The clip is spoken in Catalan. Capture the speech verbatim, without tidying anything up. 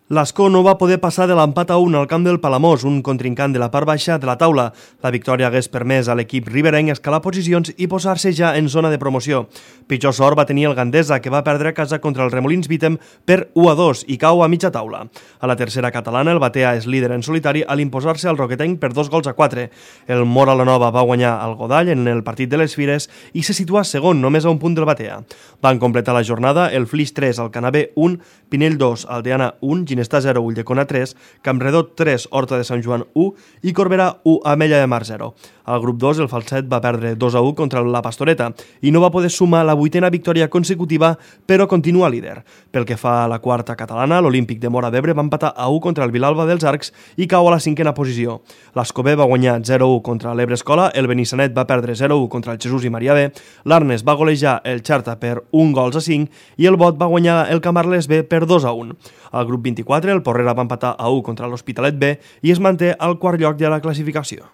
L'Ascó no va poder passar de l'empat a un al camp del Palamós, un contrincant de la part baixa de la taula. La victòria hagués permès a l'equip riberenc escalar posicions i posar-se ja en zona de promoció. Pitjor sort va tenir el Gandesa, que va perdre a casa contra el Remolins Vítem per u a dos i cau a mitja taula. A la tercera catalana, el Batea és líder en solitari a l'imposar-se al Roquetenc per dos gols a quatre. El Mora la Nova va guanyar el Godall en el partit de les Fires i se situa segon, només a un punt del Batea. Van completar la jornada el Flix tres, el Canabé un, Pinell dos, Aldeana un, Ginestà zero, Ulldecona tres, Campredó tres, Horta de Sant Joan u i Corbera u, Ametlla de Mar zero. Al grup dos, el Falset va perdre dos a u contra la Pastoreta i no va poder sumar la vuitena victòria consecutiva, però continua líder. Pel que fa a la quarta catalana, l'Olímpic de Móra d'Ebre va empatar a u contra el Vilalba dels Arcs i cau a la cinquena posició. L'Escobé va guanyar zero a u contra l'Ebre Escola, el Benissanet va perdre zero a u contra el Jesús i Maria B, l'Arnes va golejar el Xerta per un gols a cinc i el Bot va guanyar el Camarles B per dos a un. Al grup vint-i-quatre, el Porrera va empatar a u contra l'Hospitalet B i es manté al quart lloc de la classificació.